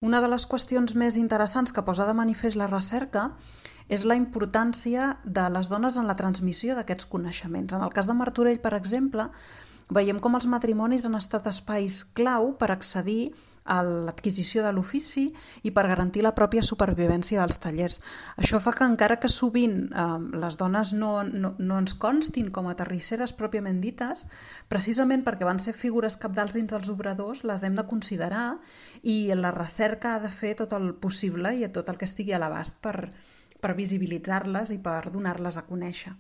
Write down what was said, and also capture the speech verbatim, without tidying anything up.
Una de les qüestions més interessants que posa de manifest la recerca és la importància de les dones en la transmissió d'aquests coneixements. En el cas de Martorell, per exemple, veiem com els matrimonis han estat espais clau per accedir a l'adquisició de l'ofici i per garantir la pròpia supervivència dels tallers. Això fa que encara que sovint eh, les dones no, no, no ens constin com a terrisseres pròpiament dites, precisament perquè van ser figures cabdals dins dels obradors, les hem de considerar i la recerca ha de fer tot el possible i tot el que estigui a l'abast per, per visibilitzar-les i per donar-les a conèixer.